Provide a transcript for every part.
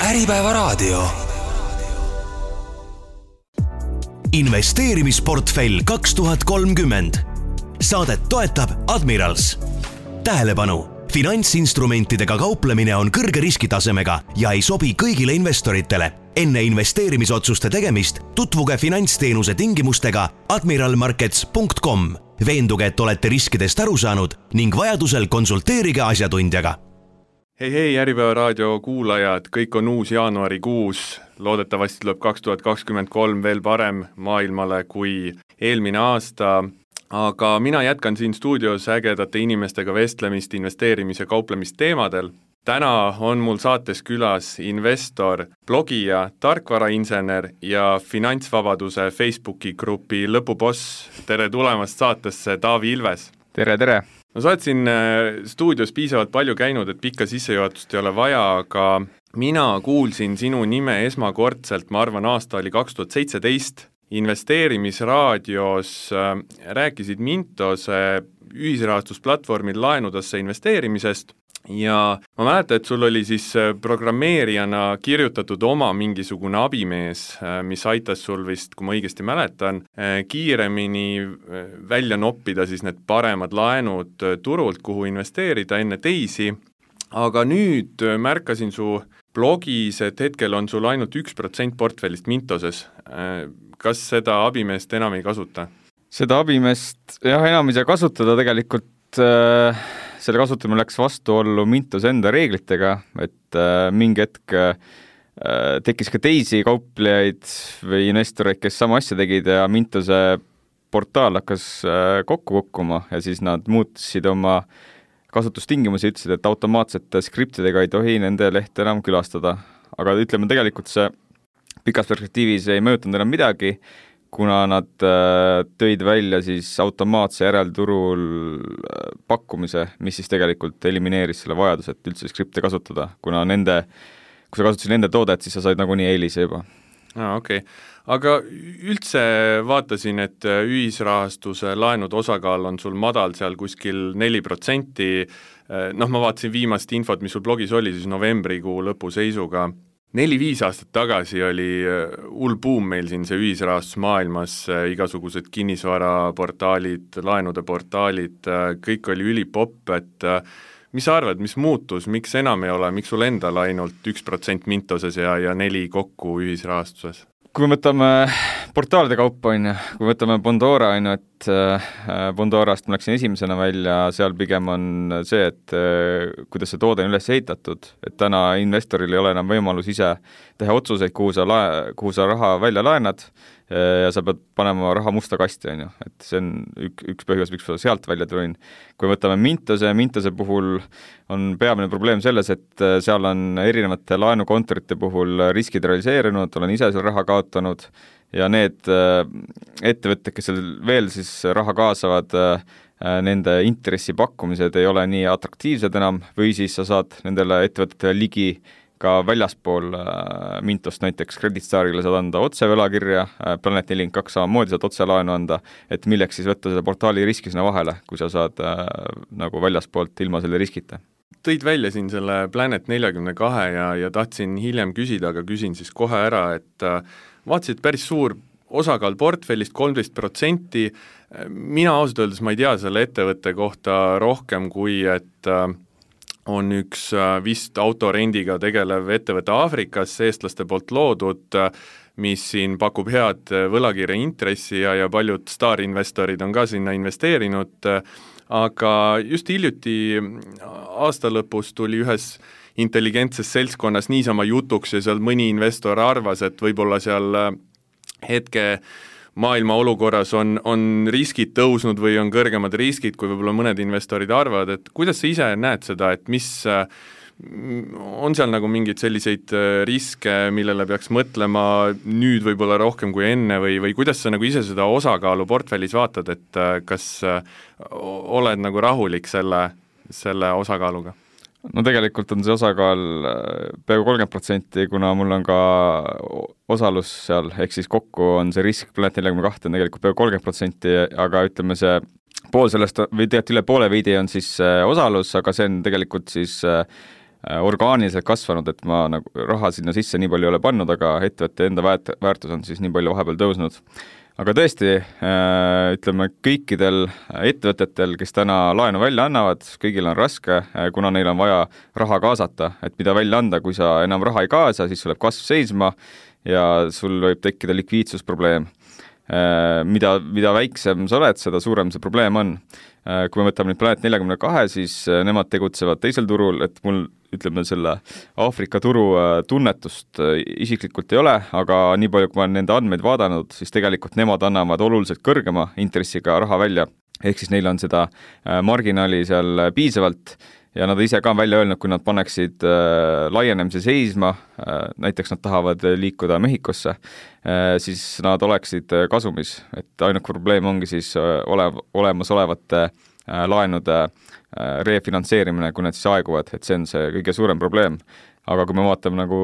Äripäevaraadio. Investeerimisportfell 2030. Saadet toetab Admirals. Tähelepanu! Finantsinstrumentidega kauplemine on kõrge riskitasemega ja ei sobi kõigile investoritele. Enne investeerimisotsuste tegemist tutvuge finantsteenuse tingimustega admiralmarkets.com. Veenduge, et olete riskidest aru saanud ning vajadusel konsulteerige asjatundjaga. Hei, Äripäevaraadio kuulajad, kõik on uus jaanuarikuus. Loodetavasti tuleb 2023 veel parem maailmale kui eelmine aasta. Aga mina jätkan siin stuudios ägedate inimestega vestlemist, investeerimis- ja kauplemisteemadel. Täna on mul saates külas investor, blogija, tarkvarainsener ja finantsvabaduse Facebooki grupi lõpuboss. Tere tulemast saatesse, Taavi Ilves. Tere. No sa oled siin stuudios piisavalt palju käinud, et pikka sissejuhatust ei ole vaja, aga mina kuulsin sinu nime esmakordselt, ma arvan, aasta oli 2017. Investeerimisraadios rääkisid Mintose ühisrahastusplatvormil laenudesse investeerimisest ja ma mäletan, et sul oli siis programmeerijana kirjutatud oma mingisugune abimees, mis aitas sul vist, kui ma õigesti mäletan, kiiremini välja noppida siis need paremad laenud turult, kuhu investeerida enne teisi. Aga nüüd märkasin su blogis, et hetkel on sul ainult 1% portfellist Mintoses. Kas seda abimeest enam ei kasuta? Seda abimeest enam ei saa kasutada tegelikult. Selle kasutamine läks vastuollu Mintose enda reeglitega, et mingi hetk tekkis ka teisi kauplejaid või investoreid, kes sama asja tegid ja Mintose portaal hakkas kokku kukkuma ja siis nad muutsid oma kasutustingimusi, ütlesid, et automaatsete skriptidega ei tohi nende lehte enam külastada. Aga ütleme, tegelikult see pikas perspektiivis ei mõjutanud enam midagi, kuna nad tõid välja siis automaatse järelturul pakkumise, mis siis tegelikult elimineeris selle vajaduse, et üldse skripte kasutada, kuna kui sa kasutasid nende toodet, siis sa said nagunii eelise juba. Okay. Aga üldse vaatasin, et ühisrahastuse laenud osakaal on sul madal seal kuskil 4%. Ma vaatasin viimast infot, mis sul blogis oli siis novembrikuu lõpu seisuga. 4-5 aastat tagasi oli hull buum meil siin see ühisrahastusmaailmas, igasugused kinnisvaraportaalid, laenude portaalid, kõik oli ülipopp, et mis sa arvad, mis muutus, miks enam ei ole, miks sul endal ainult 1% Mintoses ja 4% kokku ühisrahastuses? Kui me võtame portaalide kaupa, kui võtame Bondora, et Bondorast ma läksin esimesena välja, seal pigem on see, et kuidas see toode on üles ehitatud, et täna investoril ei ole enam võimalus ise teha otsuseid, kuhu sa raha välja laenad ja sa pead panema raha musta kasti, et see on üks põhjus, miks sealt välja tulin. Kui võtame Mintose puhul on peamine probleem selles, et seal on erinevate laenukontorite puhul riskid realiseerinud, olen ise seal raha kaotanud ja need ettevõtted, kes seal veel siis raha kaasavad, nende intressipakkumised ei ole nii atraktiivsed enam või siis sa saad nendele ettevõtetele ligi ka väljaspool Mintost, näiteks Creditstarile saad anda otse võlakirja, Planet42 samamoodi saad otse laenu anda, et milleks siis võtta seda portaali riski sinna vahele, kui sa saad nagu väljaspoolt ilma selle riskita. Tõid välja siin selle Planet42 ja tahtsin hiljem küsida, aga küsin siis kohe ära, et vaatasid päris suur osakaal portfellist, 13%. Mina ausalt öeldes ma ei tea selle ettevõtte kohta rohkem kui, et on üks vist autorendiga tegelev ettevõte Aafrikas, eestlaste poolt loodud, mis siin pakub head võlakirja intressi ja paljud staarinvestorid on ka sinna investeerinud, aga just hiljuti aasta lõpus tuli ühes intelligentses seltskonnas niisama jutuks ja seal mõni investor arvas, et võib-olla seal hetke maailma olukorras on riskid tõusnud või on kõrgemad riskid, kui võib-olla mõned investorid arvavad, et kuidas sa ise näed seda, et mis on seal nagu mingeid selliseid riske, millele peaks mõtlema nüüd võib-olla rohkem kui enne või kuidas sa nagu ise seda osakaalu portfellis vaatad, et kas oled nagu rahulik selle osakaaluga? No tegelikult on see osakaal peaaegu 30%, kuna mul on ka osalus seal, ehk siis kokku on see risk Planet42 on tegelikult peaaegu 30%, aga ütleme see pool sellest, või tegelikult üle poole veidi on siis osalus, aga see on tegelikult siis orgaaniliselt kasvanud, et ma nagu raha sinna sisse nii palju ei ole pannud, aga ettevõtte enda väärtus on siis nii palju vahepeal tõusnud. Aga tõesti, ütleme, kõikidel ettevõtetel, kes täna laenu välja annavad, kõigil on raske, kuna neil on vaja raha kaasata, et mida välja anda, kui sa enam raha ei kaasa, siis sul läheb kasv seisma ja sul võib tekkida likviidsusprobleem. Mida väiksem sa oled, seda suurem see probleem on. Kui me võtame nüüd Planet 42, siis nemad tegutsevad teisel turul, et mul, ütleme, selle Aafrika turu tunnetust isiklikult ei ole, aga nii palju, kui ma olen nende andmeid vaadanud, siis tegelikult nemad annavad oluliselt kõrgema intressiga raha välja, ehk siis neil on seda marginaali seal piisavalt ja nad ise ka on välja öelnud, kui nad paneksid laienemise seisma, näiteks nad tahavad liikuda Mehhikosse, siis nad oleksid kasumis, et ainuke probleem ongi siis olemasolevate laenude refinantseerimine, kui need siis aeguvad, et see on see kõige suurem probleem. Aga kui me vaatame nagu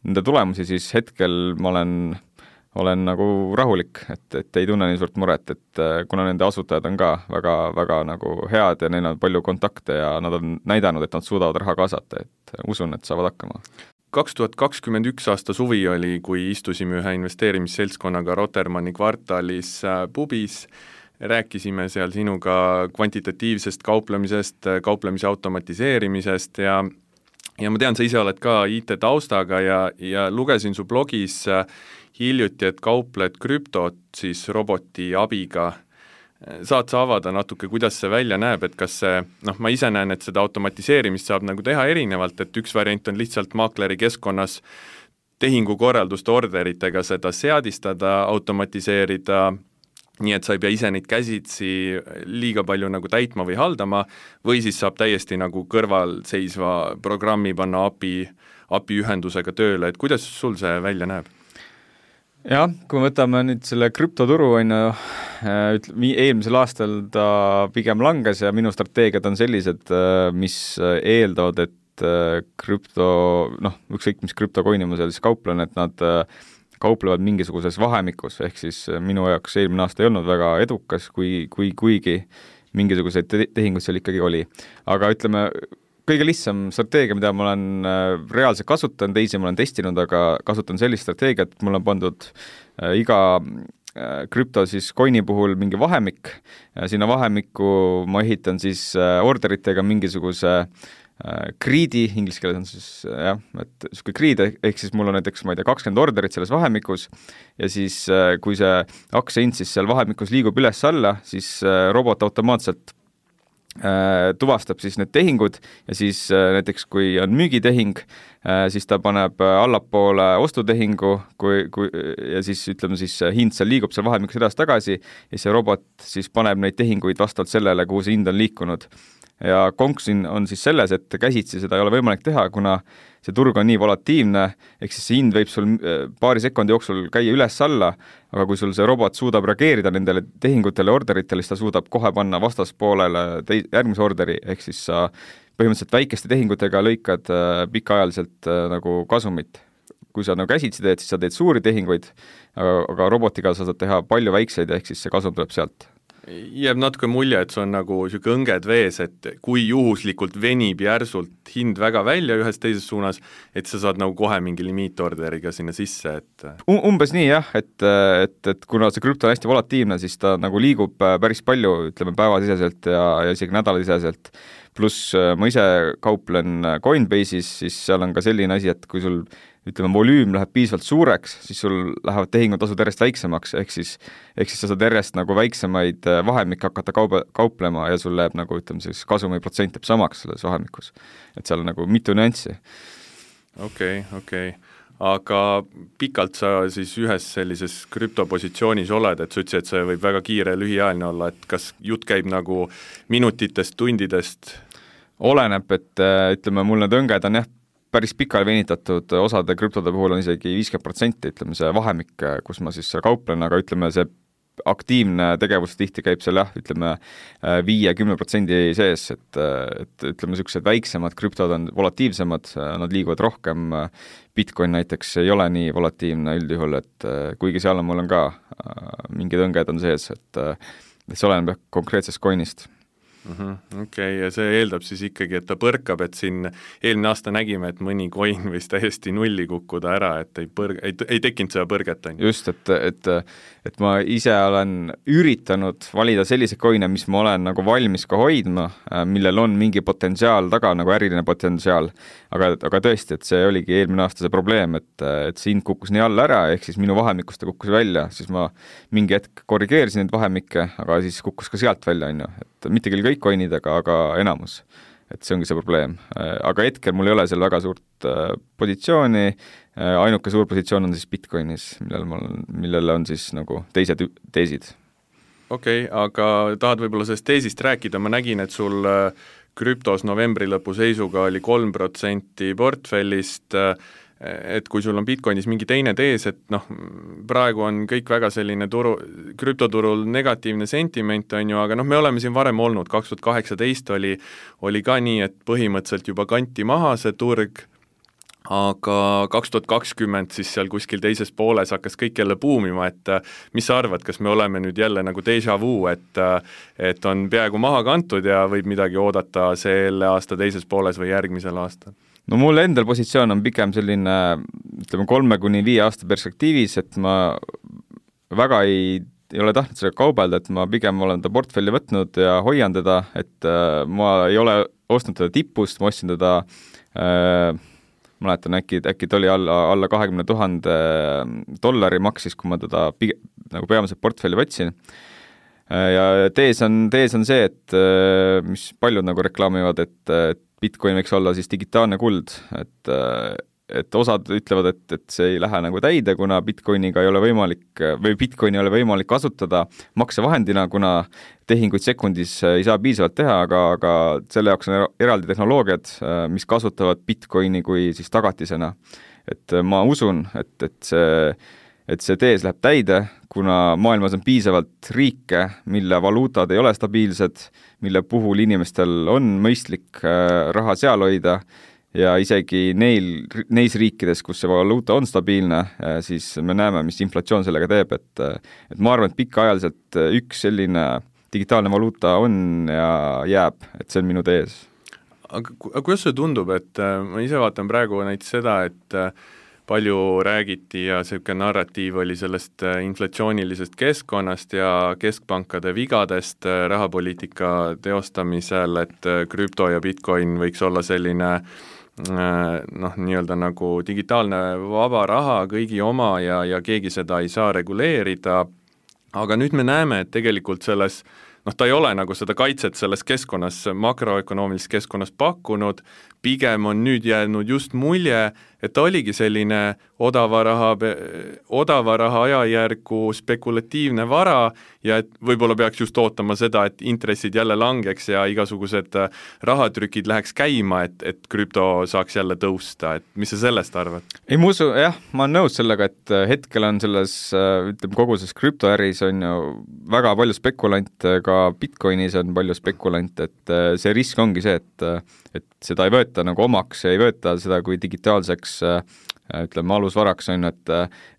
nende tulemusi, siis hetkel ma olen nagu rahulik, et ei tunne nii suurt muret, et kuna nende asutajad on ka väga nagu head ja neil on palju kontakte ja nad on näidanud, et nad suudavad raha kaasata, et usun, et saavad hakkama. 2021 aasta suvi oli, kui istusime ühe investeerimisseltskonnaga Rotermanni kvartalis pubis, rääkisime seal sinuga kvantitatiivsest kauplemisest, kauplemise automatiseerimisest ja ma tean, sa ise oled ka IT taustaga ja lugesin su blogis hiljuti, et kaupled krüptot siis roboti abiga. Saad sa avada natuke, kuidas see välja näeb, et kas see, ma ise näen, et seda automatiseerimist saab nagu teha erinevalt, et üks variant on lihtsalt maakleri keskkonnas tehingukorralduste orderitega seda seadistada, automatiseerida, nii et sa ei pea ise neid käsitsi liiga palju nagu täitma või haldama, või siis saab täiesti nagu kõrval seisva programmi panna API ühendusega tööle, et kuidas sul see välja näeb? Jah, kui me võtame nüüd selle krüptoturu, eelmisel aastal ta pigem langes ja minu strateegiad on sellised, mis eeldavad, et ükskõik mis krüptokoini ma seal siis kauplen, et nad kauplevad mingisuguses vahemikus, ehk siis minu jaoks eelmine aasta ei olnud väga edukas, kuigi mingisuguseid tehinguid seal ikkagi oli. Aga ütleme, kõige lihtsam strateegia, mida ma olen reaalselt kasutanud, teisi ma olen testinud, aga kasutan sellist strateegiat, et mul on pandud iga krüpto siis coini puhul mingi vahemik, sinna vahemikku ma ehitan siis orderitega mingisuguse greedi, inglise keeles on siis et selline greed, ehk siis mul on näiteks, ma ei tea, 20 orderit selles vahemikus ja siis kui see aktsiahind siis seal vahemikus liigub üles-alla, siis robot automaatselt tuvastab siis need tehingud ja siis näiteks kui on müügitehing, siis ta paneb allapoole ostutehingu ja siis ütleme siis hind seal liigub seal vahemikus edasi-tagasi ja see robot siis paneb neid tehinguid vastavalt sellele, kuhu see hind on liikunud. Ja konks on siis selles, et käsitsi seda ei ole võimalik teha, kuna see turg on nii volatiivne, ehk siis see hind võib sul paari sekundi jooksul käia üles-alla, aga kui sul see robot suudab reageerida nendele tehingutele, orderitele, siis ta suudab kohe panna vastaspoolele järgmise orderi, ehk siis sa põhimõtteliselt väikeste tehingutega lõikad pikaajaliselt nagu kasumit. Kui sa nagu käsitsi teed, siis sa teed suuri tehinguid, aga robotiga sa saad teha palju väikseid, ehk siis see kasum tuleb sealt. Jääb natuke mulje, et see on nagu siuke õnged vees, et kui juhuslikult venib järsult hind väga välja ühes teises suunas, et sa saad nagu kohe mingi limiitorderiga sinna sisse, et umbes nii jah, et kuna see krüpto on hästi volatiivne, siis ta nagu liigub päris palju, ütleme päevasiseselt ja isegi nädalasiseselt, pluss ma ise kauplen Coinbase'is, siis seal on ka selline asi, et kui sul ütleme, volüüm läheb piisavalt suureks, siis sul lähevad tehingutasud järjest väiksemaks, ehk siis sa saad järjest nagu väiksemaid vahemikke hakata kauplema ja sul läheb nagu, ütleme siis kasumi protsent jääb samaks selles vahemikus. Et seal on nagu mitu nüanssi. Okei. Aga pikalt sa siis ühes sellises krüptopositsioonis oled, et sa ütlesid, et see võib väga kiire lühiajaline olla, et kas jutt käib nagu minutitest, tundidest? Oleneb, et ütleme, mul need õnged on jah, päris pikalt venitatud, osade krüptode puhul on isegi 50%, ütleme see vahemik, kus ma siis kauplen, aga ütleme see aktiivne tegevus tihti käib seal jah, ütleme 5-10% sees, et ütleme niisugused väiksemad krüptod on volatiivsemad, nad liiguvad rohkem, Bitcoin näiteks ei ole nii volatiivne üldjuhul, et kuigi seal mul on ka mingid õnged on sees, et see oleneb konkreetsest coinist. Okei, ja see eeldab siis ikkagi, et ta põrkab, et siin eelmine aasta nägime, et mõni coin võis täiesti nulli kukkuda ära, et ei tekkinud seda põrget. Just, et ma ise olen üritanud valida selliseid coin'e, mis ma olen nagu valmis ka hoidma, millel on mingi potentsiaal taga, nagu äriline potentsiaal. Aga tõesti, et see oligi eelmine aasta see probleem, et see hind kukkus nii alla ära, ehk siis minu vahemikust ta kukkus välja, siis ma mingi hetk korrigeerisin neid vahemikke, aga siis kukkus ka sealt välja, et mitte küll kõik coin'idega, aga enamus. Et see ongi see probleem. Aga hetkel mul ei ole seal väga suurt positsiooni, ainuke suur positsioon on siis Bitcoinis, millele on siis nagu teised teesid. Okei, aga tahad võib-olla sellest teesist rääkida, ma nägin, et sul krüptos novembri lõpu seisuga oli 3% portfellist, et kui sul on Bitcoinis mingi teine tees, et praegu on kõik väga selline krüptoturul negatiivne sentiment, aga me oleme siin varem olnud, 2018 oli ka nii, et põhimõtteliselt juba kanti maha see turg, aga 2020 siis seal kuskil teises pooles hakkas kõik jälle buumima, et mis sa arvad, kas me oleme nüüd jälle nagu déjà vu, et on peaaegu maha kantud ja võib midagi oodata selle aasta teises pooles või järgmisel aastal? No mul endal positsioon on pigem selline, ütleme 3-5 aasta perspektiivis, et ma väga ei ole tahtnud seda kaubelda, et ma pigem olen ta portfelli võtnud ja hoian teda, et ma ei ole ostnud teda tipust, ma ostsin teda, mäletan, äkki ta oli alla $20,000 maksis, kui ma teda nagu peamiselt portfelli võtsin. Ja tees on see, et mis paljud nagu reklaamivad, et Bitcoin võiks olla siis digitaalne kuld, et osad ütlevad, et see ei lähe nagu täide, kuna Bitcoini ei ole võimalik kasutada maksevahendina, kuna tehinguid sekundis ei saa piisavalt teha, aga selle jaoks on eraldi tehnoloogiad, mis kasutavad Bitcoini kui siis tagatisena. Et ma usun, et see tees läheb täide, kuna maailmas on piisavalt riike, mille valuutad ei ole stabiilsed, mille puhul inimestel on mõistlik raha seal hoida ja isegi neis riikides, kus see valuuta on stabiilne, siis me näeme, mis inflatsioon sellega teeb, et ma arvan, et pikaajaliselt üks selline digitaalne valuuta on ja jääb, et see on minu tees. Aga kuidas see tundub, et ma ise vaatan praegu näiteks seda, et palju räägiti ja selline narratiiv oli sellest inflatsioonilisest keskkonnast ja keskpankade vigadest rahapoliitika teostamisel, et krüpto ja Bitcoin võiks olla selline nii-öelda nagu digitaalne vaba raha kõigi oma ja keegi seda ei saa reguleerida, aga nüüd me näeme, et tegelikult selles ta ei ole nagu seda kaitset selles keskkonnas, makroökonoomilises keskkonnas pakkunud, pigem on nüüd jäänud just mulje, et ta oligi selline odava raha ajajärgu spekulatiivne vara ja et võib-olla peaks just ootama seda, et intressid jälle langeks ja igasugused rahatrükid läheks käima, et krüpto saaks jälle tõusta, et mis sa sellest arvad? Ei ma usu, jah, ma olen nõus sellega, et hetkel on selles, kogu selles krüptoäris on ju väga palju spekulante, ka Bitcoinis on palju spekulante, et see risk ongi see, et seda ei võeta nagu omaks, ei võeta seda kui digitaalseks alusvaraks on, et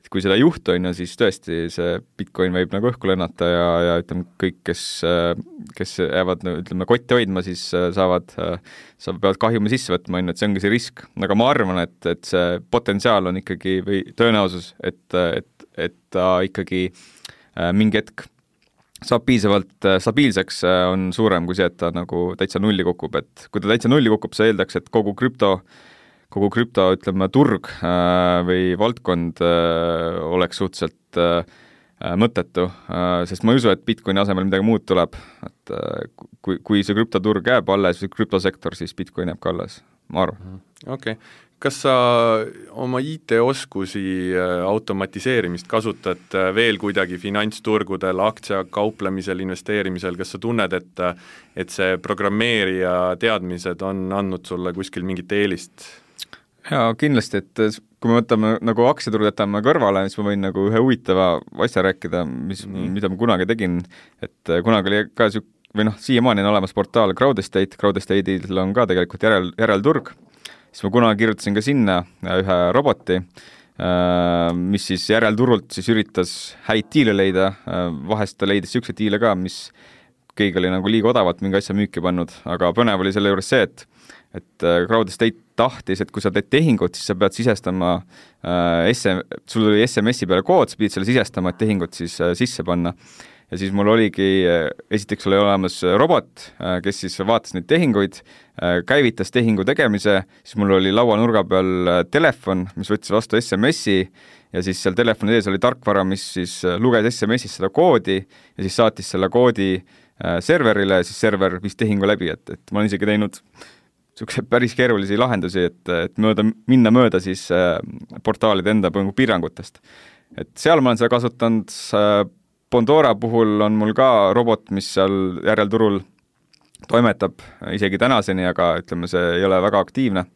kui seda ei juhtu on, siis tõesti see Bitcoin võib nagu õhku lennata ja ütleme kõik, kes jäävad kotti hoidma, siis peavad kahjumi sisse võtma, et see ongi see risk. Aga ma arvan, et see potentsiaal on ikkagi või tõenäosus, et ta ikkagi mingi hetk saab piisavalt stabiilseks, on suurem kui see, et ta nagu täitsa nulli kukub, et kui ta täitsa nulli kukub, see eeldaks, et kogu krüpto, turg või valdkond oleks suhteliselt mõttetu, sest ma ei usu, et Bitcoini asemel midagi muud tuleb, et kui see krüptoturg jääb alles, krüptosektor, siis Bitcoin jääb ka alles, ma arvan. Okei. Kas sa oma IT-oskusi automatiseerimist kasutad veel kuidagi finantsturgudel, aktsia kauplemisel, investeerimisel, kas sa tunned, et see programmeerija teadmised on andnud sulle kuskil mingit eelist? Jaa, kindlasti, et kui me võtame nagu aktsiaturud jätame kõrvale, siis ma võin nagu ühe huvitava asja rääkida, mida ma kunagi tegin, et kunagi oli ka siiamaani on olemas portaal Crowdestate'il on ka tegelikult järelturg, siis ma kunagi kirjutasin ka sinna ühe roboti, mis siis järelturult siis üritas häid diile leida, vahest ta leidis niisuguse diile ka, mis keegi oli nagu liiga odavalt mingi asja müüki pannud, aga põnev oli selle juures see, et CrowdState tahtis, et kui sa teed tehingut, siis sa pead sisestama sul tuli SMS-i peale kood, sa pidid selle sisestama, et tehingut siis sisse panna. Ja siis mul oligi, esiteks oli olemas robot, kes siis vaatas neid tehinguid, käivitas tehingu tegemise, siis mul oli lauanurga peal telefon, mis võttis vastu SMS-i ja siis seal telefoni ees oli tarkvara, mis siis luges SMS-is seda koodi ja siis saatis selle koodi serverile ja siis server viis tehingu läbi, et ma olen isegi teinud niisuguse päris keerulisi lahendusi, et minna mööda siis portaalide enda piirangutest. Et seal ma olen seda kasutanud, Bondora puhul on mul ka robot, mis seal järelturul toimetab isegi tänaseni, aga ütleme, see ei ole väga aktiivne.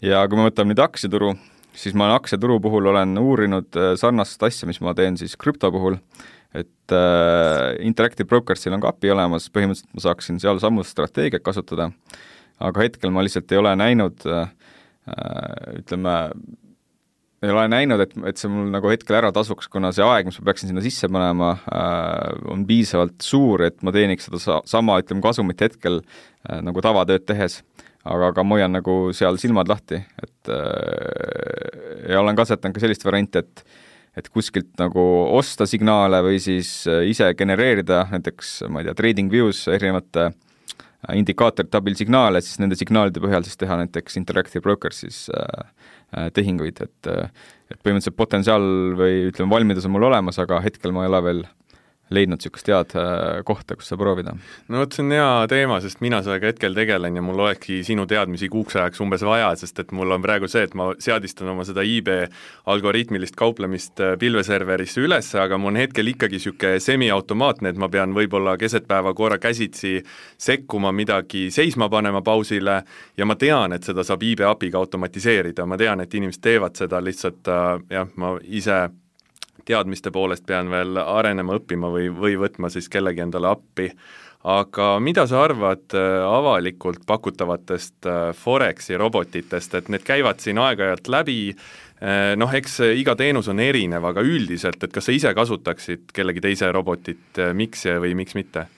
Ja kui me võtame nüüd aktsiaturu, siis ma aktsiaturu puhul olen uurinud sarnast asja, mis ma teen siis krüpto puhul, et Interactive Brokersil on ka API olemas, põhimõtteliselt ma saaksin seal samu strateegiat kasutada, aga hetkel ma lihtsalt ei ole näinud, et see mul nagu hetkel ära tasuks, kuna see aeg, mis ma peaksin sinna sisse panema, on piisavalt suur, et ma teeniks seda sama, kasumit hetkel nagu tavatööd tehes. Aga ma hoian nagu seal silmad lahti, et ja olen katsetanud ka sellist varianti, et kuskilt nagu osta signaale või siis ise genereerida, näiteks, ma ei tea, TradingViews erinevate indikaatorite abil signaale, siis nende signaalide põhjal siis teha näiteks Interactive Brokers siis tehinguid, et põhimõtteliselt potentsiaal või valmidus on mul olemas, aga hetkel ma ei ole veel leidnud niisugust head kohta, kus seda proovida. No see on hea teema, sest mina sellega hetkel tegelen ja mul olekski sinu teadmisi kuuks ajaks umbes vaja, sest et mul on praegu see, et ma seadistan oma seda eBay algoritmilist kauplemist pilveserverisse üles, aga mul on hetkel ikkagi niisugune semiautomaatne, et ma pean võib-olla keset päeva korra käsitsi sekkuma midagi seisma panema pausile ja ma tean, et seda saab eBay API-ga automatiseerida, ma tean, et inimesed teevad seda lihtsalt, ma ise teadmiste poolest pean veel arenema õppima või võtma siis kellegi endale appi. Aga mida sa arvad avalikult pakutavatest Forexi robotitest, et need käivad siin aeg-ajalt läbi, eks iga teenus on erinev, aga üldiselt, et kas sa ise kasutaksid kellegi teise robotit, miks või miks mitte?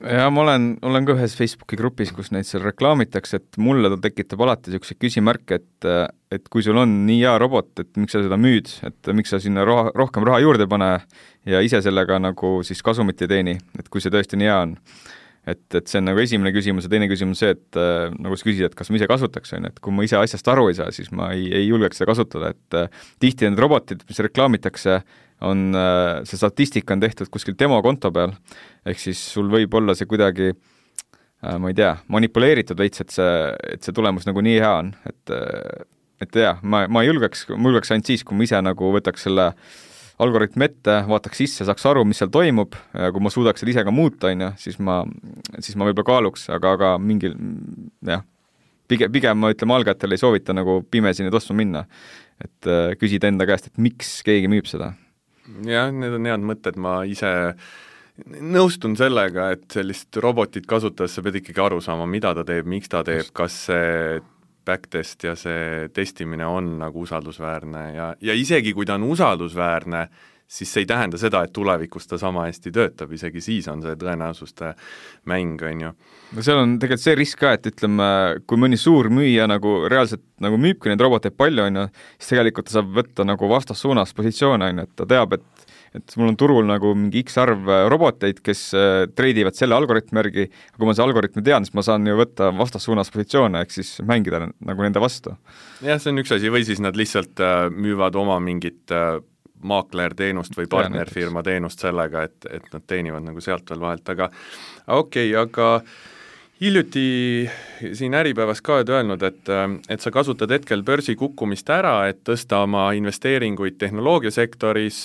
Ja ma olen ka ühes Facebooki grupis, kus neid seal reklaamitakse, et mulle ta tekitab alati niisuguse küsimärk, et kui sul on nii hea robot, et miks sa seda müüd, et miks sa sinna rohkem raha juurde pane ja ise sellega nagu siis kasumit ei teeni, et kui see tõesti nii hea on. Et see on nagu esimene küsimus ja teine küsimus see, et nagu sa küsid, et kas ma ise kasutaks, et kui ma ise asjast aru ei saa, siis ma ei julgeks seda kasutada, et tihti need robotid, mis reklaamitakse, see statistika on tehtud kuskil demokonto peal, ehk siis sul võib olla see kuidagi, ma ei tea, manipuleeritud veits, et see tulemus nagu nii hea on, et jah, ma julgeks ainult siis, kui ma ise nagu võtaks selle algoritmi ette, vaataks sisse, saaks aru, mis seal toimub, ja kui ma suudaks seda ise ka muuta, siis ma võib-olla kaaluks, aga mingil, jah, pigem ma algajatel ei soovita nagu pimesi nüüd ostma minna, et küsida enda käest, et miks keegi müüb seda. Jah, need on head mõtted, ma ise nõustun sellega, et sellist robotit kasutades sa pead ikkagi aru saama, mida ta teeb, miks ta teeb, kas see backtest ja see testimine on nagu usaldusväärne ja isegi kui ta on usaldusväärne, siis see ei tähenda seda, et tulevikus ta sama hästi töötab, isegi siis on see tõenäosuste mäng, on ju. No seal on tegelikult see risk ka, et kui mõni suur müüja nagu reaalselt nagu müübki neid roboteid palju, siis tegelikult ta saab võtta nagu vastassuunas positsioone, et ta teab, et mul on turul nagu mingi X arv roboteid, kes treidivad selle algoritmi järgi, aga kui ma see algoritmi tean, siis ma saan ju võtta vastassuunas positsioone, ehk siis mängida nagu nende vastu. Jah, see on üks asi, või siis nad lihtsalt müüvad oma mingit maaklerteenust või partnerfirma teenust sellega, et nad teenivad nagu sealt veel vahelt, aga aga hiljuti siin Äripäevas ka oled öelnud, et sa kasutad hetkel börsi kukkumist ära, et tõsta oma investeeringuid tehnoloogiasektoris,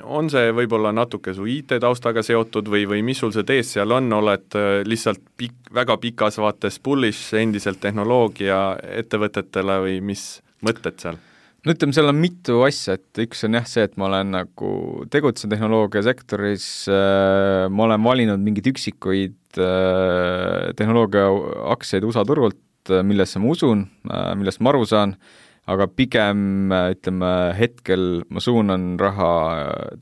on see võib-olla natuke su IT-taustaga seotud või mis sul see tees seal on, oled lihtsalt väga pikas vaates bullish endiselt tehnoloogia ettevõtetele või mis mõtted seal? No ütleme, seal on mitu asja, et üks on jah see, et ma olen nagu tegutsen tehnoloogiasektoris, ma olen valinud mingid üksikuid tehnoloogia aktsiaid USA turult, millesse ma usun, millest ma aru saan, aga pigem, ütleme, hetkel ma suunan raha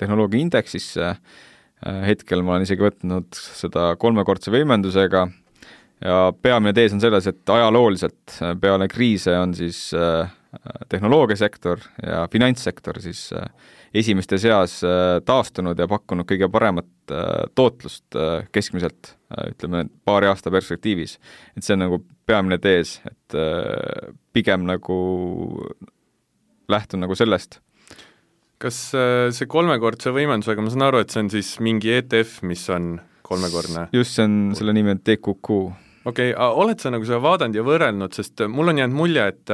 tehnoloogia indeksisse, hetkel ma olen isegi võtnud seda 3-kordse võimendusega ja peamine tees on selles, et ajalooliselt peale kriise on siis tehnoloogiasektor ja finantssektor siis esimeste seas taastunud ja pakkunud kõige paremat tootlust keskmiselt, ütleme, paari aasta perspektiivis. Et see on nagu peamine tees, et pigem nagu lähtun nagu sellest. Kas see 3-kordse võimendusega, ma saan aru, et see on siis mingi ETF, mis on 3-kordne? Just, see on selle nimi on TQQ. Okei, oled sa nagu seda vaadanud ja võrrelnud, sest mul on jäänud mulje, et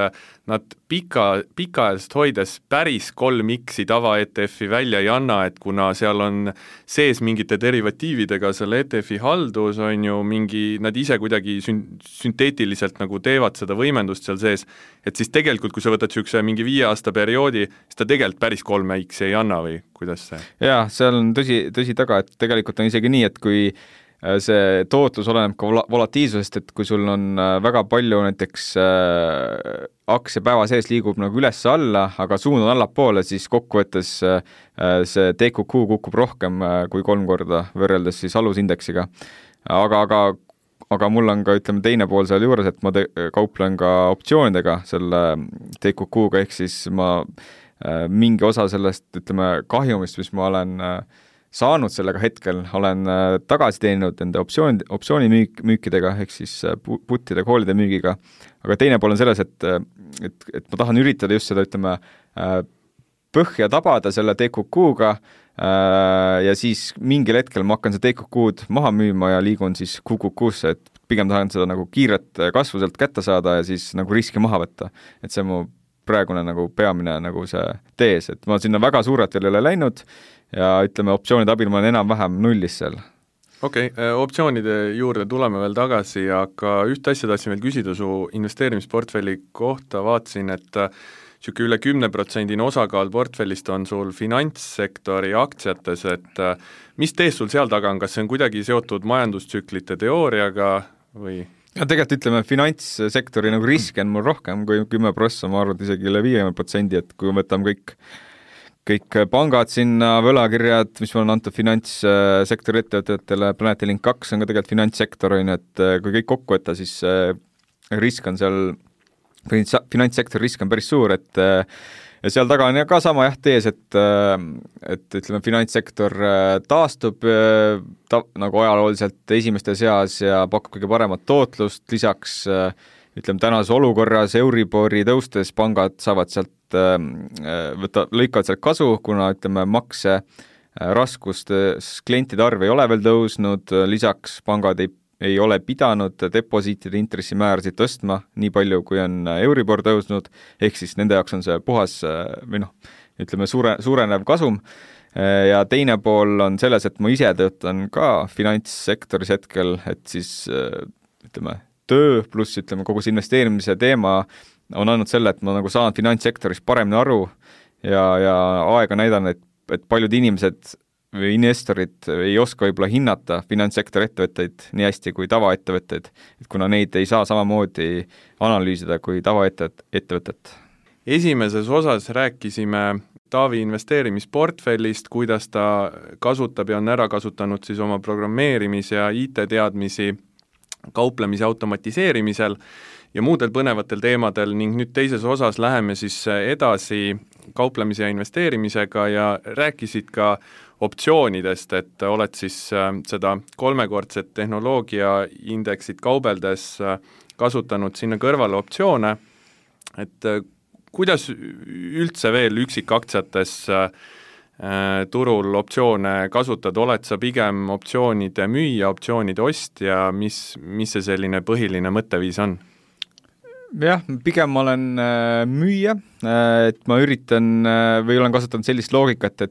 nad pikaajaliselt hoides päris 3X-i tava ETF-i välja ei anna, et kuna seal on sees mingite derivatiividega selle ETF-i haldus, on ju mingi, nad ise kuidagi sünteetiliselt nagu teevad seda võimendust seal sees, et siis tegelikult, kui sa võtad niisuguse mingi 5 aasta perioodi, siis ta tegelikult päris 3X-i ei anna või kuidas see? Jaa, seal on tõsi taga, et tegelikult on isegi nii, et kui see tootlus oleneb ka volatiilsusest, et kui sul on väga palju näiteks aktsia päeva sees liigub nagu üles-alla, aga suund on allapoole, siis kokkuvõttes see TQQ kukub rohkem kui 3 korda võrreldes siis alusindeksiga. Aga mul on ka, ütleme, teine pool seal juures, et ma kauplen ka optsioonidega selle TQQ-ga, ehk siis ma mingi osa sellest, ütleme, kahjumist, mis ma olen saanud sellega hetkel, olen tagasi teeninud enda optsioonimüükidega, ehk siis puttide koolide müügiga, aga teine pool on selles, et ma tahan üritada just seda, ütleme, põhja tabada selle TQQ-ga ja siis mingil hetkel ma hakkan seda TQQ-d maha müüma ja liigun siis QQQ-sse, et pigem tahan seda nagu kiiret kasvu sealt kätte saada ja siis nagu riski maha võtta. Et see on mu praegune nagu peamine nagu see tees, et ma sinna väga suurelt veel ei ole läinud ja ütleme, optsioonide abil ma olen enam-vähem nullis seal. Okei, optsioonide juurde tuleme veel tagasi, aga ühte asja tahtsin veel küsida su investeerimisportfelli kohta, vaatasin, et niisugune üle 10% osakaal portfellist on sul finantssektori aktsiates, et mis tees sul seal taga on, kas see on kuidagi seotud majandustsüklite teooriaga või? Ja tegelikult ütleme, finantssektori nagu riske on mul rohkem kui 10%, ma arvan, isegi üle 50%, et kui võtame kõik pangad sinna, võlakirjad, mis on antud finantssektori ettevõtetele, Planetilink 2 on ka tegelikult finantssektor, et kui kõik kokku võtta, siis risk on seal, finantssektori risk on päris suur, et ja seal taga on ka sama tees, et ütleme, finantssektor taastub nagu ajalooliselt esimeste seas ja pakub kõige paremat tootlust, lisaks ütleme, tänases olukorras Euribori tõustes pangad saavad sealt lõikavad sealt kasu, kuna ütleme, makse raskustes klientide arv ei ole veel tõusnud, lisaks pangad ei ole pidanud deposiitide intressimäärasid tõstma nii palju, kui on Euribor tõusnud, ehk siis nende jaoks on see puhas või ütleme, suurenev kasum. Ja teine pool on selles, et ma ise töötan ka finantssektoris hetkel, et siis ütleme, töö pluss ütleme, kogu see investeerimise teema on andnud selle, et ma nagu saan finantssektoris paremini aru ja aega näidan, et paljud inimesed või investorid ei oska võib-olla hinnata finantssektori ettevõtteid nii hästi kui tavaettevõtteid, et kuna neid ei saa samamoodi analüüsida kui tavaettevõtet. Esimeses osas rääkisime Taavi investeerimisportfellist, kuidas ta kasutab ja on ära kasutanud siis oma programmeerimis- ja IT-teadmisi kauplemise automatiseerimisel ja muudel põnevatel teemadel ning nüüd teises osas läheme siis edasi kauplemise ja investeerimisega ja rääkisid ka optsioonidest, et oled siis seda 3-kordset tehnoloogiaindeksit kaubeldes kasutanud sinna kõrvale optsioone, et kuidas üldse veel üksikaktsiates turul optsioone kasutad, oled sa pigem optsioonide müüja, optsioonide ostja, mis see selline põhiline mõtteviis on? Jah, pigem ma olen müüja, et ma üritan või olen kasutanud sellist loogikat,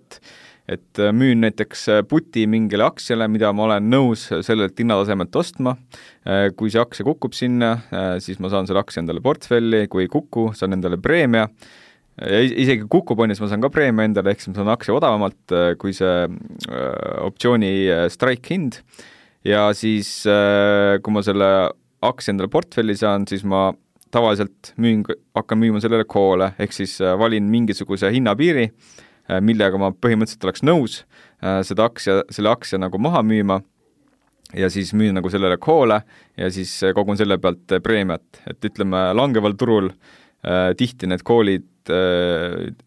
et müün näiteks puti mingile aktsiale, mida ma olen nõus sellelt hinnatasemelt ostma. Kui see aktsia kukub sinna, siis ma saan selle aktsia endale portfelli, kui ei kuku, saan endale preemia. Ja isegi kukub on, siis ma saan ka preemia endale, ehk siis ma saan aktsia odavamalt kui see optsiooni strike hind. Ja siis, kui ma selle aktsia endale portfelli saan, siis ma tavaliselt hakkan müüma sellele koole, ehk siis valin mingisuguse hinnapiiri, millega ma põhimõtteliselt oleks nõus selle aktsia nagu maha müüma ja siis müün nagu sellele call'e ja siis kogun selle pealt preemiat, et ütleme, langeval turul tihti need call'id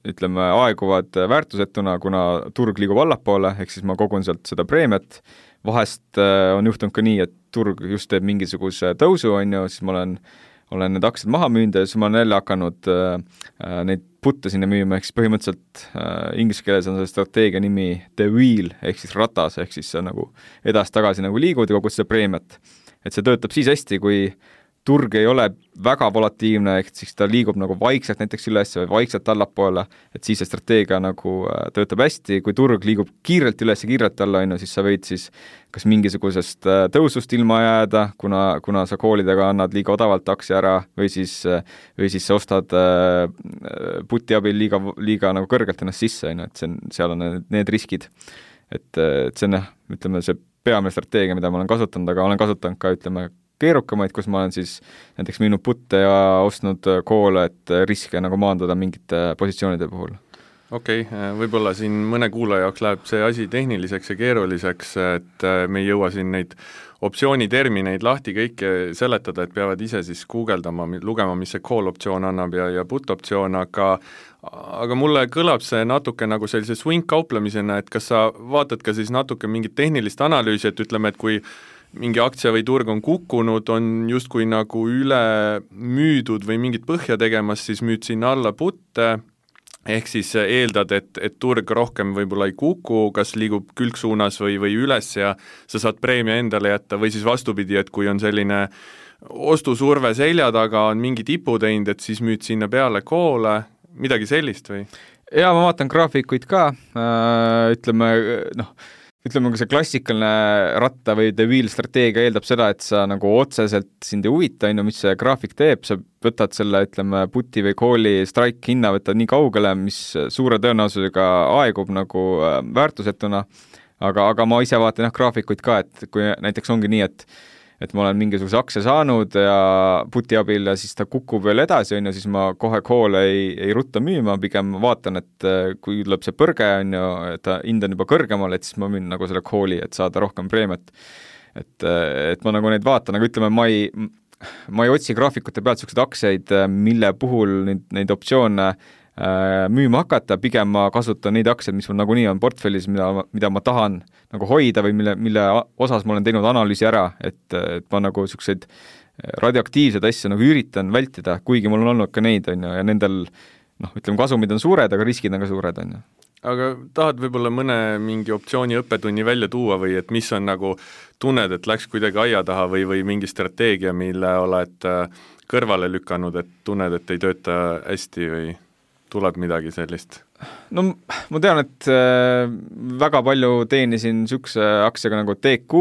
ütleme, aeguvad väärtusetuna, kuna turg liigub allapoole, ehk siis ma kogun sealt seda preemiat. Vahest on juhtunud ka nii, et turg just teeb mingisuguse tõusu, siis ma olen need aktsiad maha müünud ja siis ma olen jälle hakanud neid putte sinna müüma, ehk siis põhimõtteliselt inglise keeles on selle strateegia nimi the wheel, ehk siis ratas, ehk siis sa nagu edasi-tagasi nagu liigud ja kogud seda preemiat. Et see töötab siis hästi, kui turg ei ole väga volatiivne, ehk siis ta liigub nagu vaikselt näiteks üles või vaikselt allapoole, et siis see strateegia nagu töötab hästi, kui turg liigub kiirelt üles ja kiirelt alla, siis sa võid siis kas mingisugusest tõusust ilma jääda, kuna sa koolidega annad liiga odavalt aktsia ära või siis sa ostad puti abil liiga nagu kõrgelt ennast sisse, et seal on need riskid. Et see on, ütleme, see peamine strateegia, mida ma olen kasutanud, aga olen kasutanud ka, ütleme, keerukamaid, kus ma olen siis näiteks müünud putte ja ostnud koole, et riske nagu maandada mingite positsioonide puhul. Okei, võib-olla siin mõne kuulaja jaoks läheb see asi tehniliseks ja keeruliseks, et me ei jõua siin neid optsioonitermineid lahti kõike seletada, et peavad ise siis guugeldama, lugema, mis see call optsioon annab ja put optsioon, aga mulle kõlab see natuke nagu sellise swing kauplemisena, et kas sa vaatad ka siis natuke mingit tehnilist analüüsi, et ütleme, et kui mingi aktsia või turg on kukkunud, on justkui nagu üle müüdud või mingit põhja tegemas, siis müüd sinna alla putte, ehk siis eeldad, et turg rohkem võib-olla ei kuku, kas liigub külgsuunas või üles ja sa saad preemia endale jätta või siis vastupidi, et kui on selline ostusurve selja taga, on mingi tipu teinud, et siis müüd sinna peale call'e, midagi sellist või? Jaa, ma vaatan graafikuid ka, ütleme, kui see klassikaline ratta või the wheel strateegia eeldab seda, et sa nagu otseselt sind ei huvita, mis see graafik teeb, sa võtad selle, ütleme, puti või call'i strike hinna, võtad nii kaugele, mis suure tõenäosusega aegub nagu väärtusetuna, aga ma ise vaatan graafikuid ka, et kui näiteks ongi nii, et ma olen mingisuguse aktsia saanud ja puti abil ja siis ta kukub veel edasi, siis ma kohe call'e ei rutta müüma, pigem vaatan, et kui tuleb see põrge, et ta hind on juba kõrgemal, et siis ma müün nagu selle call'i, et saada rohkem preemiat. Et ma nagu neid vaatan, aga ütleme, ma ei otsi graafikute pealt selliseid aktsiaid, mille puhul neid optsioone müüma hakata, pigem ma kasutan neid aktsiaid, mis mul nagunii on portfellis, mida ma tahan nagu hoida või mille osas ma olen teinud analüüsi ära, et ma nagu selliseid radioaktiivseid asju nagu üritan vältida, kuigi mul on olnud ka neid, ja nendel, ütleme, kasumid on suured, aga riskid on ka suured, Aga tahad võib-olla mõne mingi optsiooni õppetunni välja tuua või et mis on nagu tunned, et läks kuidagi aia taha või mingi strateegia, mille oled kõrvale lükanud, et tunned, et ei tööta hästi või tuleb midagi sellist? No ma tean, et väga palju teenisin niisuguse aktsiaga nagu TQ,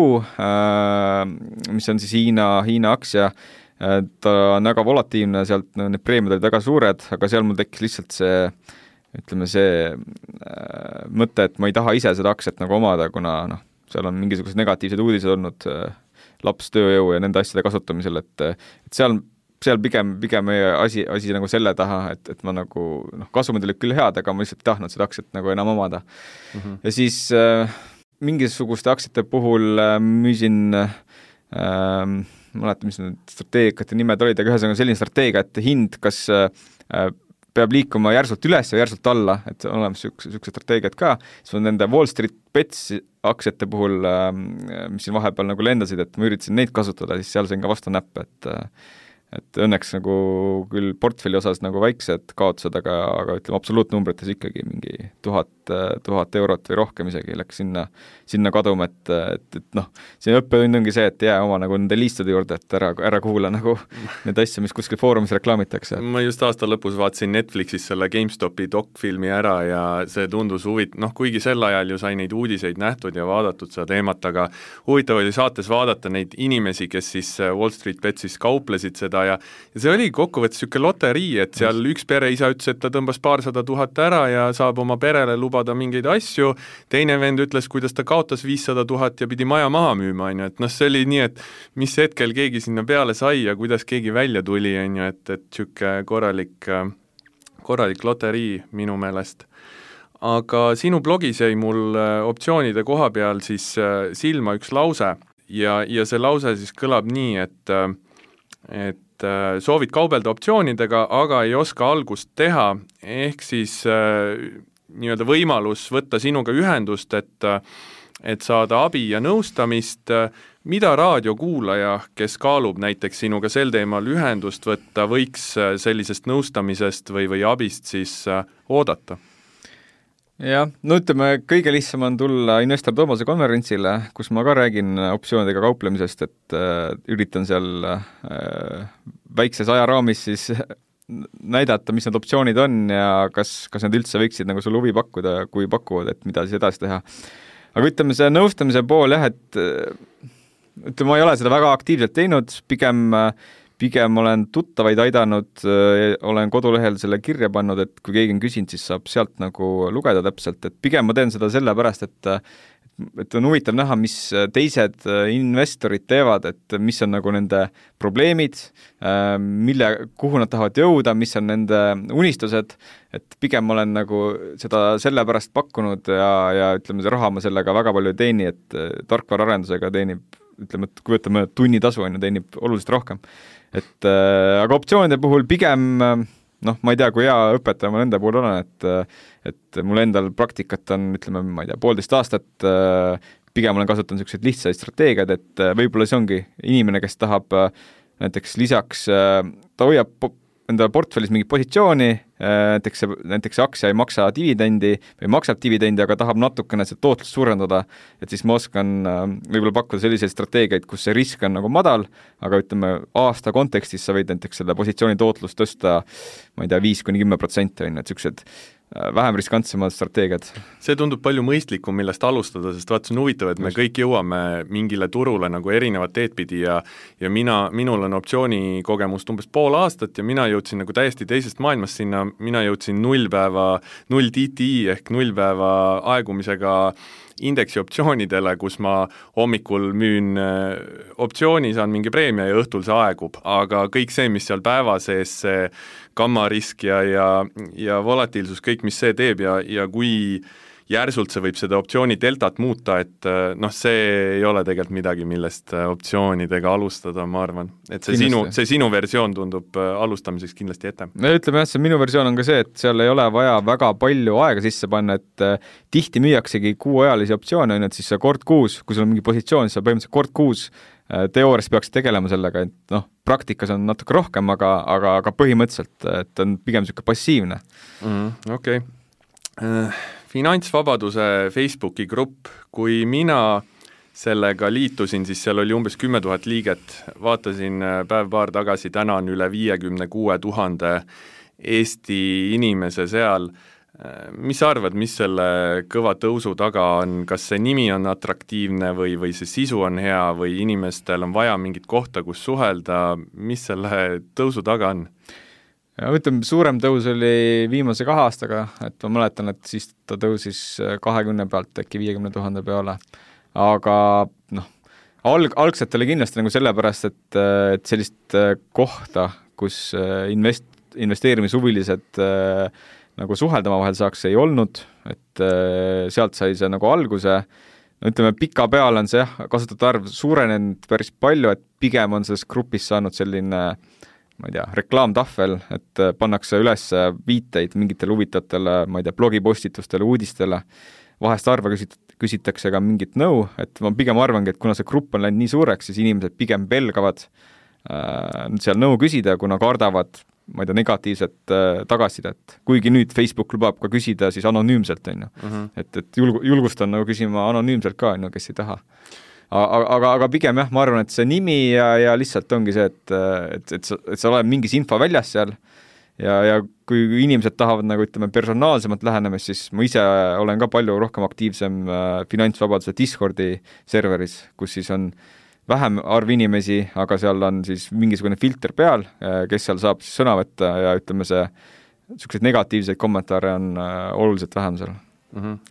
mis on siis Hiina aktsia. Ta on väga volatiivne, sealt need preemiad olid väga suured, aga seal mul tekkis lihtsalt see mõte, et ma ei taha ise seda aktsiat nagu omada, kuna seal on mingisugused negatiivsed uudised olnud lapstööjõu ja nende asjade kasutamisel, et seal pigem asi nagu selle taha, et ma nagu, kasumid olid küll head, aga ma lihtsalt ei tahtnud seda aktsiat nagu enam omada. Ja siis mingisuguste aktsiate puhul müüsin, mäleta, mis need strateegikate nimed olid, aga ühesõnaga selline strateegia, et hind kas peab liikuma järsult üles ja järsult alla, et on olemas niisugused strateegiad ka, siis on nende Wall Street Bets aktsiate puhul, mis siin vahepeal nagu lendasid, et ma üritasin neid kasutada, siis seal sain ka vastu näppe, et õnneks nagu küll portfelli osas nagu väiksed kaotused, aga ütleme absoluutnumbrites ikkagi mingi 1000 eurot või rohkem isegi läks sinna kaduma, et see õppetund ongi see, et jää oma nagu nende liistude juurde, et ära kuula nagu need asju, mis kuskil foorumis reklaamitakse. Ma just aasta lõpus vaatasin Netflixis selle GameStopi dokfilmi ära ja see tundus kuigi sel ajal ju sai neid uudiseid nähtud ja vaadatud seda teemat, aga huvitav oli saates vaadata neid inimesi, kes siis Wall Street Betsis kauplesid seda ja see oli kokkuvõttes niisugune loterii, et seal üks pereisa ütles, et ta tõmbas 200 000 ära ja saab oma perele lubada mingeid asju, teine vend ütles, kuidas ta kaotas 500 000 ja pidi maja maha müüma, et see oli nii, et mis hetkel keegi sinna peale sai ja kuidas keegi välja tuli, et niisugune korralik loterii minu meelest. aga sinu blogis jäi mul optsioonide koha peal siis silma üks lause ja see lause siis kõlab nii, et soovid kaubelda optsioonidega, aga ei oska algust teha, ehk siis nii-öelda võimalus võtta sinuga ühendust, et saada abi ja nõustamist, mida raadiokuulaja, kes kaalub näiteks sinuga sel teemal ühendust võtta, võiks sellisest nõustamisest või abist siis oodata? Jah, no ütleme, kõige lihtsam on tulla Investor Toomase konverentsile, kus ma ka räägin optsioonidega kauplemisest, et üritan seal väikses ajaraamis siis näidata, mis need optsioonid on ja kas need üldse võiksid nagu sul huvi pakkuda, kui pakuvad, et mida siis edasi teha. Aga ütleme, see nõustamise pool jah, et ütleme, ma ei ole seda väga aktiivselt teinud, pigem olen tuttavaid aidanud, olen kodulehel selle kirja pannud, et kui keegi on küsinud, siis saab sealt nagu lugeda täpselt, et pigem ma teen seda sellepärast, et on huvitav näha, mis teised investorid teevad, et mis on nagu nende probleemid, kuhu nad tahavad jõuda, mis on nende unistused, et pigem olen nagu seda sellepärast pakkunud ja ütleme, see raha ma sellega väga palju ei teeni, et tarkvaraarendusega teenib, ütleme, et kui võtame tunnitasu, teenib oluliselt rohkem. Aga optsioonide puhul pigem, ma ei tea, kui hea õpetaja ma enda puhul olen, et mul endal praktikat on, ütleme, ma ei tea, 1,5 aastat, pigem olen kasutanud selliseid lihtsaid strateegiaid, et võib-olla see ongi inimene, kes tahab näiteks lisaks, ta hoiab enda portfellis mingi positsiooni, näiteks aktsia ei maksa dividendi või maksab dividendi, aga tahab natukene see tootlust suurendada, et siis ma oskan võib-olla pakkuda selliseid strateegiaid, kus see risk on nagu madal, aga ütleme, aasta kontekstis sa võid näiteks selle positsiooni tootlust tõsta, ma ei tea, 5-10%, et sellised vähem riskantsemad strateegiad. See tundub palju mõistlikum, millest alustada, sest vaat see on huvitav, et me kõik jõuame mingile turule nagu erinevat teed pidi ja minul on optsiooni kogemust umbes 0,5 aastat ja mina jõudsin nagu täiesti teisest maailmast sinna, mina jõudsin 0 DTI ehk 0 päeva aegumisega indeksi optsioonidele, kus ma hommikul müün optsiooni, saan mingi preemia ja õhtul see aegub, aga kõik see, mis seal päeva sees, see gammarisk ja volatiilsus, kõik, mis see teeb ja kui järsult see võib seda optsiooni deltat muuta, et see ei ole tegelikult midagi, millest optsioonidega alustada, ma arvan. Et see sinu versioon tundub alustamiseks kindlasti ette. Me ütleme jah, see minu versioon on ka see, et seal ei ole vaja väga palju aega sisse panna, et tihti müüaksegi kuuajalisi optsioone, et siis kord kuus, kui sul on mingi positsioon, siis sa põhimõtteliselt kord kuus teoorias peaks tegelema sellega, et praktikas on natuke rohkem, aga põhimõtteliselt, et on pigem selline passiivne. Okei. Finantsvabaduse Facebooki grupp, kui mina sellega liitusin, siis seal oli umbes 10 000 liiget, vaatasin päev-paar tagasi, täna on üle 56 000 Eesti inimese seal. Mis sa arvad, mis selle kõva tõusu taga on, kas see nimi on atraktiivne või see sisu on hea või inimestel on vaja mingit kohta, kus suhelda, mis selle tõusu taga on? Ja ütleme, suurem tõus oli viimase 2 aastaga, et ma mäletan, et siis ta tõusis 20 pealt äkki 50 000 peale, aga algselt oli kindlasti nagu sellepärast, et sellist kohta, kus investeerimishuvilised nagu suheldama vahel saaks, ei olnud, et sealt sai see nagu alguse. Ütleme, pika peal on see kasutajate arv suurenenud päris palju, et pigem on selles grupis saanud selline ma ei tea, reklaamtahvel, et pannakse üles viiteid mingitele huvitavatele, ma ei tea, blogipostitustele, uudistele, vahest arva küsitakse ka mingit nõu, et ma pigem arvangi, et kuna see grupp on läinud nii suureks, siis inimesed pigem pelgavad seal nõu küsida, kuna kardavad, ma ei tea, negatiivset tagasisidet. Kuigi nüüd Facebook lubab ka küsida siis anonüümselt, et julgustan nagu küsima anonüümselt ka, kes ei taha. Aga pigem jah, ma arvan, et see nimi ja lihtsalt ongi see, et sa oled mingis info väljas seal ja kui inimesed tahavad nagu ütleme personaalsemat lähenemist, siis ma ise olen ka palju rohkem aktiivsem finantsvabaduse Discordi serveris, kus siis on vähem arv inimesi, aga seal on siis mingisugune filter peal, kes seal saab siis sõna võtta ja ütleme selliseid negatiivseid kommentaare on oluliselt vähem seal.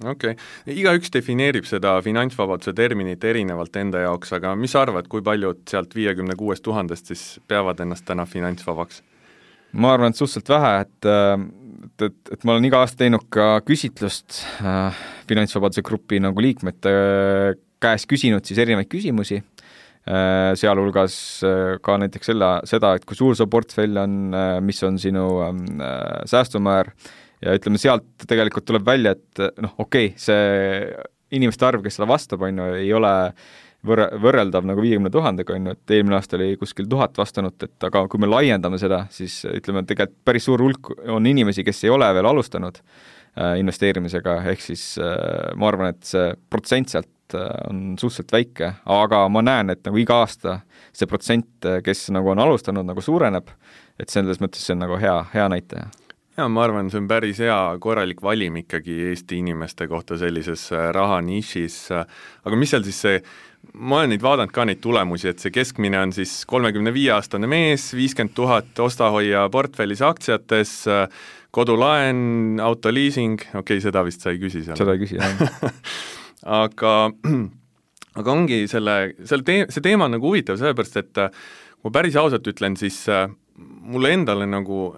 Okei. Igaüks defineerib seda finantsvabaduse terminit erinevalt enda jaoks, aga mis arvad, kui paljud sealt 56 000 siis peavad ennast täna finantsvabaks? Ma arvan, et suhteliselt vähe, et et ma olen iga aasta teinud ka küsitlust finantsvabaduse grupi nagu liikmete käest küsinud siis erinevaid küsimusi, sealhulgas ka näiteks seda, et kui suur su portfell on, mis on sinu säästumäär ja ütleme, sealt tegelikult tuleb välja, et see inimeste arv, kes seda vastab, ei ole võrreldav nagu 50 000, et eelmine aasta oli kuskil 1000 vastanut, et aga kui me laiendame seda, siis ütleme, et tegelikult päris suur hulk on inimesi, kes ei ole veel alustanud investeerimisega, ehk siis ma arvan, et see protsent sealt on suhteliselt väike, aga ma näen, et nagu iga aasta see protsent, kes nagu on alustanud, nagu suureneb, et selles mõttes see on nagu hea näitaja. Ja ma arvan, see on päris hea korralik valim ikkagi Eesti inimeste kohta sellises raha nišis, aga mis seal siis see, ma olen neid vaadanud ka neid tulemusi, et see keskmine on siis 35-aastane mees, 50 000 ostahoia portfellis aktsiates, kodulaen, autoliising, seda vist sa ei küsi seal. Seda ei küsi, jah. aga ongi see teema on nagu huvitav, sellepärast, et kui päris ausalt ütlen, siis mulle endale nagu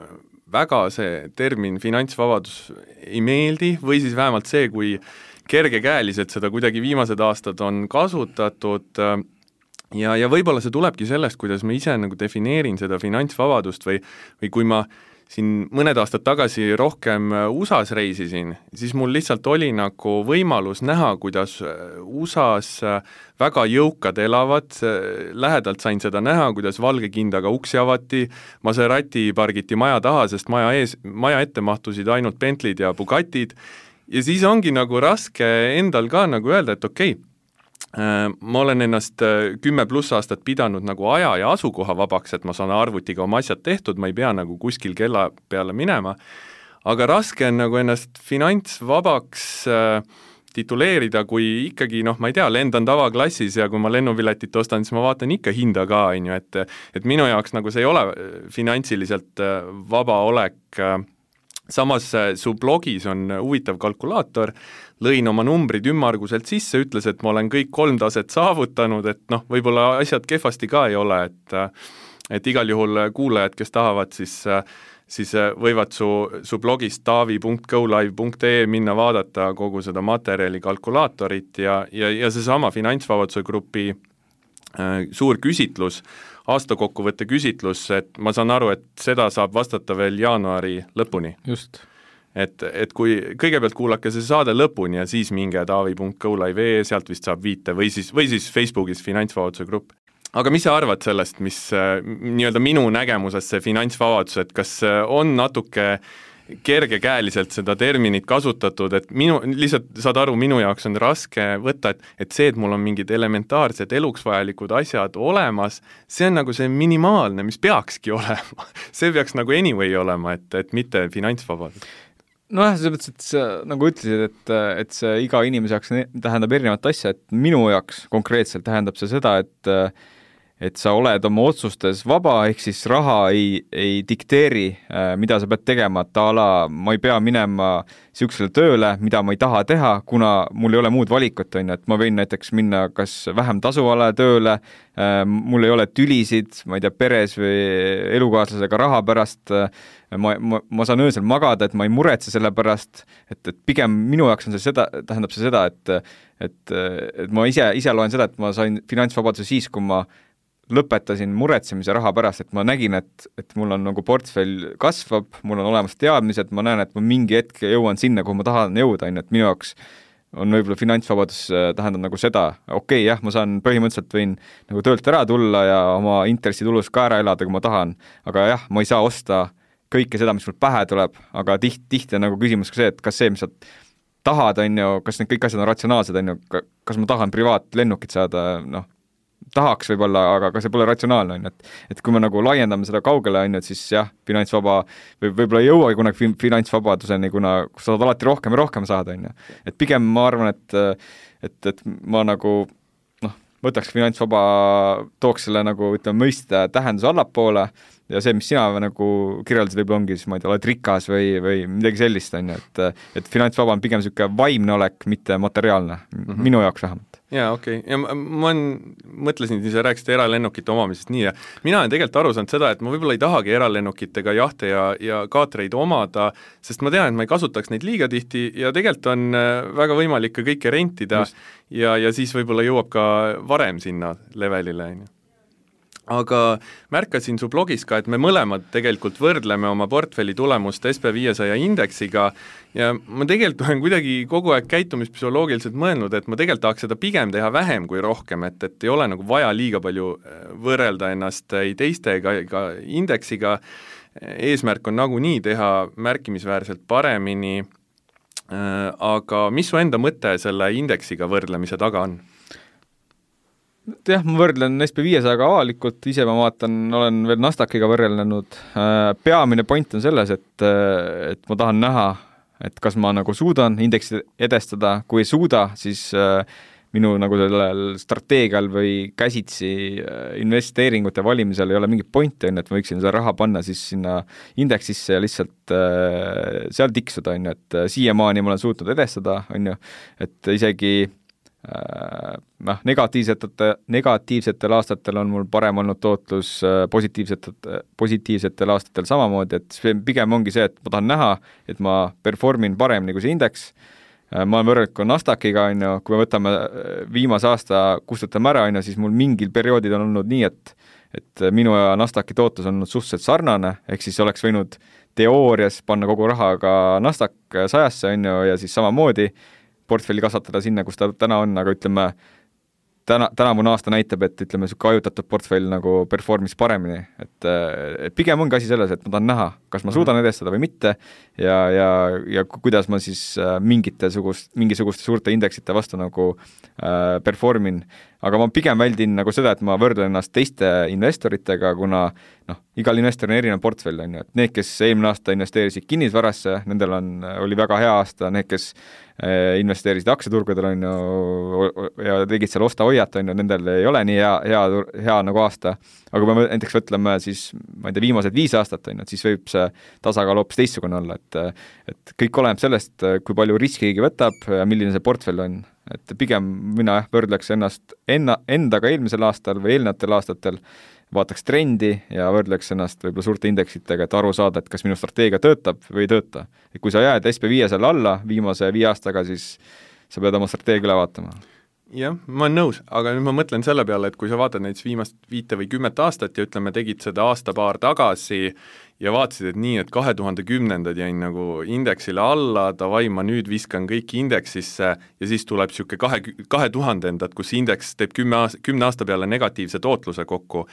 väga see termin finantsvabadus ei meeldi või siis vähemalt see, kui kergekäeliselt seda kuidagi viimased aastad on kasutatud ja võib-olla see tulebki sellest, kuidas ma ise nagu defineerin seda finantsvabadust või kui ma siin mõned aastad tagasi rohkem USAs reisisin, siis mul lihtsalt oli nagu võimalus näha, kuidas USAs väga jõukad elavad, lähedalt sain seda näha, kuidas valgekindaga uksi avati, Maserati pargiti maja taha, sest maja ette mahtusid ainult Bentley'd ja Bugattid, ja siis ongi nagu raske endal ka nagu öelda, et ma olen ennast 10+ aastat pidanud nagu aja ja asukoha vabaks, et ma saan arvutiga oma asjad tehtud, ma ei pea nagu kuskil kella peale minema, aga raske on nagu ennast finantsvabaks tituleerida, kui ikkagi, ma ei tea, lendan tavaklassis ja kui ma lennupiletit ostan, siis ma vaatan ikka hinda ka, et minu jaoks nagu see ei ole finantsiliselt vaba olek. Samas su blogis on huvitav kalkulaator, lõin oma numbrid ümmarguselt sisse, ütles, et ma olen kõik 3 taset saavutanud, et võib-olla asjad kehvasti ka ei ole, et igal juhul kuulajad, kes tahavad, siis võivad su blogist taavi.golive.ee minna vaadata kogu seda materjali kalkulaatorit ja seesama finantsvabaduse grupi suur küsitlus, aastakokkuvõtte küsitlus, et ma saan aru, et seda saab vastata veel jaanuari lõpuni. Just. Et kui kõigepealt kuulake see saade lõpuni ja siis minge taavi.golive.ee, sealt vist saab viite või siis Facebookis finantsvabaduse grupp. Aga mis sa arvad sellest, mis nii-öelda minu nägemuses see finantsvabadus, et kas on natuke kergekäeliselt seda terminit kasutatud, et lihtsalt saad aru, minu jaoks on raske võtta, et see, et mul on mingid elementaarsed eluks vajalikud asjad olemas, see on nagu see minimaalne, mis peakski olema. See peaks nagu anyway olema, et mitte finantsvabadus. Nojah, selles mõttes, et nagu ütlesid, et see iga inimese jaoks tähendab erinevat asja, et minu jaoks konkreetselt tähendab see seda, et sa oled oma otsustes vaba, ehk siis raha ei dikteeri, mida sa pead tegema, ma ei pea minema siuksele tööle, mida ma ei taha teha, kuna mul ei ole muud valikut, et ma võin näiteks minna kas vähem tasuvale tööle, mul ei ole tülisid, ma ei tea, peres või elukaaslasega raha pärast, ma saan öösel magada, et ma ei muretse selle pärast, et pigem minu jaoks on tähendab see seda, et ma ise loen seda, et ma sain finantsvabaduse siis, kui ma lõpetasin muretsemise raha pärast, et ma nägin, et mul on nagu portfell kasvab, mul on olemas teadmised, ma näen, et ma mingi hetk jõuan sinna, kuhu ma tahan jõuda, et minu jaoks on võib-olla finantsvabadus tähendab nagu seda, jah, ma saan põhimõtteliselt võin nagu töölt ära tulla ja oma intressitulus ka ära elada, kui ma tahan, aga jah, ma ei saa osta kõike seda, mis mul pähe tuleb, aga tihti on nagu küsimus ka see, et kas see, mis sa tahad, kas need kõik asjad on ratsionaalsed, kas ma tahan privaatlennukit saada, tahaks võib-olla, aga ka see pole ratsionaalne, et kui me nagu laiendame seda kaugele, et siis jah, finantsvaba, võib-olla ei jõuagi kunagi finantsvabaduseni, kuna sa saad alati rohkem ja rohkem saada, et pigem ma arvan, et ma nagu võtaks finantsvaba, tooks selle nagu, ütleme, mõiste tähenduse allapoole ja see, mis sina nagu kirjeldasid, võib-olla ongi siis, ma ei tea, oled rikas või midagi sellist, on ju, et finantsvaba on pigem niisugune vaimne olek, mitte materiaalne, minu jaoks vähemalt. Jaa, okei. Ja ma mõtlesin, et sa rääkisid eralennukite omamisest nii, ja mina olen tegelikult aru saanud seda, et ma võib-olla ei tahagi eralennukitega jahte ja kaatreid omada, sest ma tean, et ma ei kasutaks neid liiga tihti ja tegelikult on väga võimalik ka kõike rentida ja siis võib-olla jõuab ka varem sinna levelile, on ju. Aga märkasin su blogis ka, et me mõlemad tegelikult võrdleme oma portfelli tulemust SP500 indeksiga ja ma tegelikult olen kuidagi kogu aeg käitumispsühholoogiliselt mõelnud, et ma tegelikult tahaks seda pigem teha vähem kui rohkem, et ei ole nagu vaja liiga palju võrrelda ennast ei teiste ega indeksiga. Eesmärk on nagunii teha märkimisväärselt paremini, aga mis su enda mõte selle indeksiga võrdlemise taga on? Jah, ma võrdlen SP500-ga avalikult, ise ma vaatan, olen veel Nasdaq'iga võrrelnud. Peamine point on selles, et ma tahan näha, et kas ma nagu suudan indeksi edestada, kui ei suuda, siis minu nagu sellel strateegial või käsitsi investeeringute valimisel ei ole mingit pointi, et ma võiksin seda raha panna siis sinna indeksisse ja lihtsalt seal tiksuda, et siiamaani ma olen suutnud edestada, et isegi negatiivsetel aastatel on mul parem olnud tootlus, positiivsetel aastatel samamoodi, et pigem ongi see, et ma tahan näha, et ma performin paremini kui see indeks. Ma olen võrreld kui Nasdaq'iga, kui me võtame viimase aasta kustutame ära, siis mul mingil perioodid on olnud nii, et minu ja Nasdaq'i tootlus on olnud suhteliselt sarnane, ehk siis oleks võinud teoorias panna kogu raha ka Nasdaq 100-sse ja siis samamoodi portfelli kasvatada sinna, kus ta täna on, aga ütleme, tänavune aasta näitab, et ütleme, ajutatud portfell nagu performis paremini, et pigem ongi asi selles, et ma tahan näha, kas ma suudan edestada või mitte ja kuidas ma siis mingisuguste suurte indeksite vastu nagu performin, aga ma pigem väldin nagu seda, et ma võrdlen ennast teiste investoritega, kuna igal investoril on erinev portfell, et need, kes eelmine aasta investeerisid kinnisvarasse, nendel oli väga hea aasta, need, kes investeerisid aktsiaturgudel ja tegid seal osta-hoiata, nendel ei ole nii hea nagu aasta, aga kui me näiteks võtleme siis, ma ei tea, viimased 5 aastat, siis võib see tasakaal hoopis teistsugune olla, et kõik oleneb sellest, kui palju riski keegi võtab ja milline see portfell on, et pigem mina võrdleks ennast endaga eelmisel aastal või eelnevatel aastatel, vaataks trendi ja võrdleks ennast võib-olla suurte indeksitega, et aru saada, et kas minu strateegia töötab või ei tööta. Et kui sa jääd SP500 alla viimase 5 aastaga, siis sa pead oma strateegia üle vaatama. Jah, ma olen nõus, aga nüüd ma mõtlen selle peale, et kui sa vaatad näiteks viimast 5 või 10 aastat ja ütleme, tegid seda aasta-paar tagasi ja vaatasid, et nii, et 2010-ndad jäin nagu indeksile alla, davai, ma nüüd viskan kõik indeksisse ja siis tuleb siuke 2000-ndad, kus indeks teeb 10 aasta peale negatiivse tootluse kokku.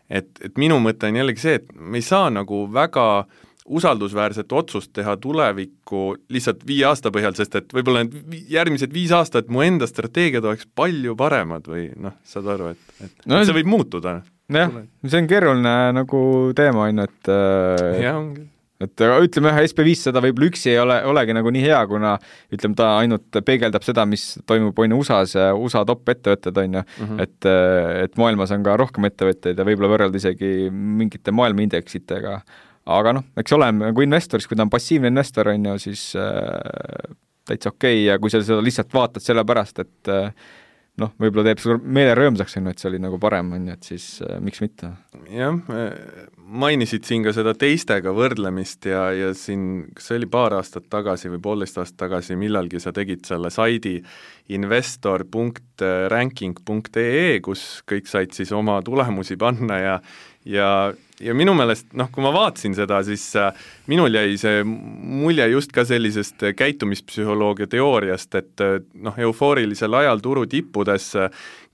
Et minu mõte on jällegi see, et me ei saa nagu väga usaldusväärset otsust teha tulevikku lihtsalt 5 aasta põhjal, sest et võib-olla järgmised 5 aastat mu enda strateegiad oleks palju paremad või saad aru, et see võib muutuda. Jah, see on keeruline nagu teema, et ütleme, SP500 võib-olla üksi ei olegi nagu nii hea, kuna ütleme, ta ainult peegeldab seda, mis toimub USA-s ja USA top ettevõtted, et maailmas on ka rohkem ettevõtteid ja võib-olla võrrelda isegi mingite maailma indeksitega. Aga eks oleme nagu investoris, kui ta on passiivne investor, siis täitsa okei, ja kui sa seda lihtsalt vaatad selle pärast, et võib-olla teeb sul meele rõõmsaks, et see oli nagu parem, et siis miks mitte? Jah, mainisid siin ka seda teistega võrdlemist ja siin, kas see oli paar aastat tagasi või 1,5 aastat tagasi, millalgi sa tegid selle saidi investor.ranking.ee, kus kõik said siis oma tulemusi panna ja minu meelest, kui ma vaatasin seda, siis minul jäi see mulje just ka sellisest käitumispsühholoogia teooriast, et eufoorilisel ajal turu tippudes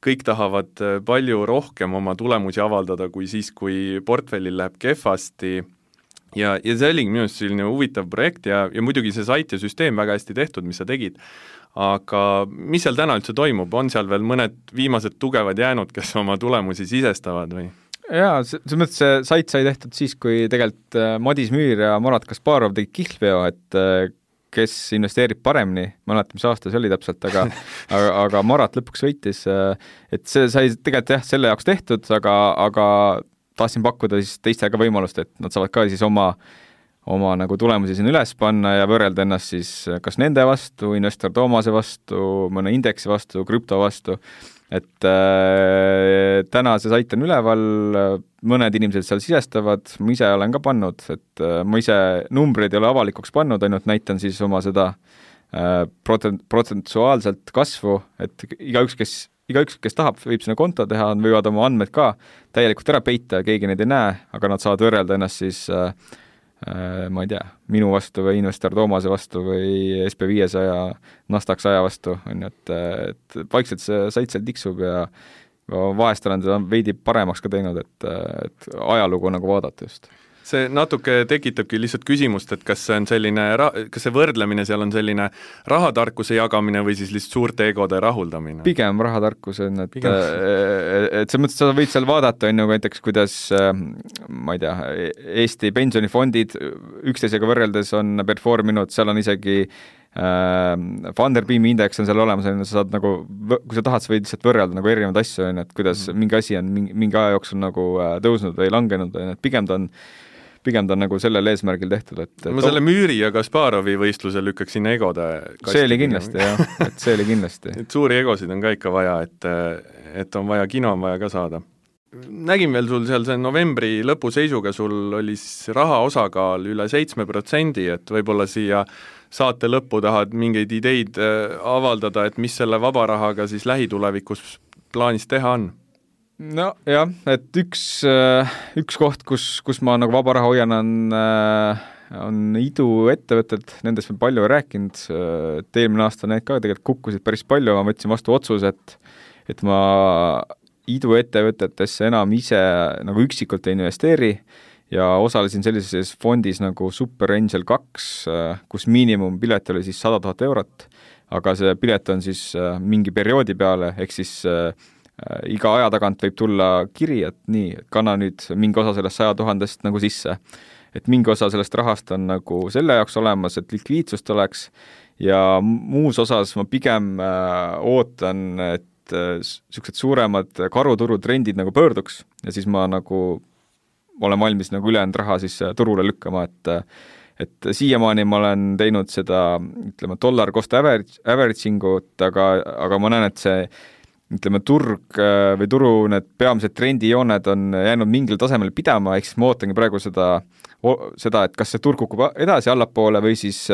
kõik tahavad palju rohkem oma tulemusi avaldada kui siis, kui portfellil läheb kehvasti ja see oligi minu arust selline huvitav projekt ja muidugi see sait ja süsteem väga hästi tehtud, mis sa tegid. Aga mis seal täna üldse toimub? On seal veel mõned viimased tugevad jäänud, kes oma tulemusi sisestavad või? Jaa, see mõttes see sait sai tehtud siis, kui tegelikult Madis Müür ja Marat Kasparov tegid kihlveo, et kes investeerib paremini, ma näetan, mis aasta see oli täpselt, aga Marat lõpuks võitis, et see sai tegelikult selle jaoks tehtud, aga tahtsin pakkuda siis teistega võimalust, et nad saavad ka siis oma nagu tulemusi siin üles panna ja võrrelda ennast siis kas nende vastu, investor Toomase vastu, mõne indeksi vastu, krüpto vastu, et täna see sait on üleval, mõned inimesed seal sisestavad, ma ise olen ka pannud, et ma ise numbreid ei ole avalikuks pannud, ainult näitan siis oma seda protsentuaalselt kasvu, et igaüks, kes tahab, võib sinna konto teha, võivad oma andmed ka täielikult ära peita, keegi neid ei näe, aga nad saavad võrrelda ennast siis ma ei tea, minu vastu või investor Toomase vastu või SP500 Nasdaq 100 vastu, on ju, et vaikselt see sait seal tiksub ja vahest olen seda veidi paremaks ka teinud, et ajalugu nagu vaadata just. See natuke tekitabki lihtsalt küsimust, et kas see on selline, kas see võrdlemine seal on selline rahatarkuse jagamine või siis lihtsalt suurte egode rahuldamine? Pigem rahatarkus on, et see mõttes sa võid seal vaadata, on ju, näiteks kuidas, ma ei tea, Eesti pensionifondid üksteisega võrreldes on performinud, seal on isegi Funderbeami indeks on seal olemas, sa saad nagu, kui sa tahad, sa võid lihtsalt võrrelda nagu erinevaid asju, et kuidas mingi asi on mingi aja jooksul nagu tõusnud või langenud, et pigem ta on nagu sellel eesmärgil tehtud, et ma selle Müüri ja Kasparovi võistlusel lükkaks sinna egode see oli kindlasti, jah, et see oli kindlasti. Et suuri egosid on ka ikka vaja, et on vaja, kino on vaja ka saada. Nägin veel sul seal see novembri lõpuseisuga, sul oli raha osakaal üle 7%, et võib-olla siia saate lõppu tahad mingeid ideid avaldada, et mis selle vaba rahaga siis lähitulevikus plaanis teha on? No jah, et üks koht, kus ma nagu vaba raha hoian, on iduettevõtted, nendest me palju rääkinud, et eelmine aasta need ka tegelikult kukkusid päris palju, ma võtsin vastu otsus, et ma iduettevõtetesse enam ise nagu üksikult ei investeeri ja osalesin sellises fondis nagu Super Angel 2, kus miinimumpilet oli siis 100 000 eurot, aga see pilet on siis mingi perioodi peale, ehk siis iga aja tagant võib tulla kiri, et nii, kanna nüüd mingi osa sellest 100 000 nagu sisse. Et mingi osa sellest rahast on nagu selle jaoks olemas, et likviidsust oleks ja muus osas ma pigem ootan, et sellised suuremad karuturutrendid nagu pöörduks ja siis ma nagu olen valmis nagu ülejäänud raha siis turule lükkama, et siiamaani ma olen teinud seda, ütleme, dollar cost averaging ut, aga ma näen, et see ütleme, turg või turu need peamised trendijooned on jäänud mingil tasemel pidama, ehk siis ma ootangi praegu seda, et kas see turg kukub edasi allapoole või siis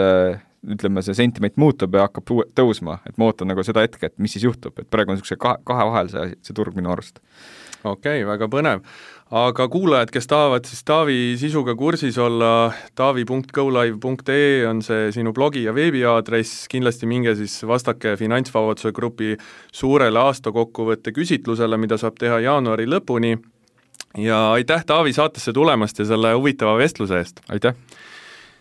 ütleme, see sentiment muutub ja hakkab tõusma, et ma ootan nagu seda hetke, et mis siis juhtub, et praegu on niisuguse kahe vahel see turg minu arust. Okei, väga põnev. Aga kuulajad, kes tahavad siis Taavi sisuga kursis olla, taavi.golive.ee on see sinu blogi ja veebiaadress, kindlasti minge siis vastake Finantsvabaduse grupi suurele aastakokkuvõtte küsitlusele, mida saab teha jaanuari lõpuni ja aitäh Taavi saatesse tulemast ja selle huvitava vestluse eest. Aitäh!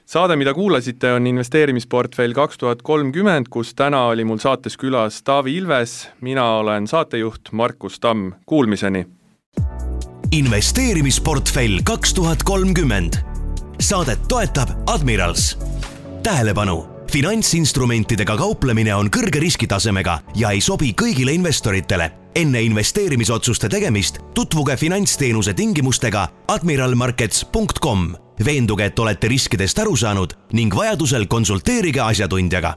Saade, mida kuulasite, on investeerimisportfell 2030, kus täna oli mul saates külas Taavi Ilves, mina olen saatejuht Markus Tamm, kuulmiseni! Investeerimisportfell 2030. Saadet toetab Admirals. Tähelepanu! Finantsinstrumentidega kauplemine on kõrge riskitasemega ja ei sobi kõigile investoritele. Enne investeerimisotsuste tegemist tutvuge finantsteenuse tingimustega admiralmarkets.com. Veenduge, et olete riskidest aru saanud ning vajadusel konsulteerige asjatundjaga.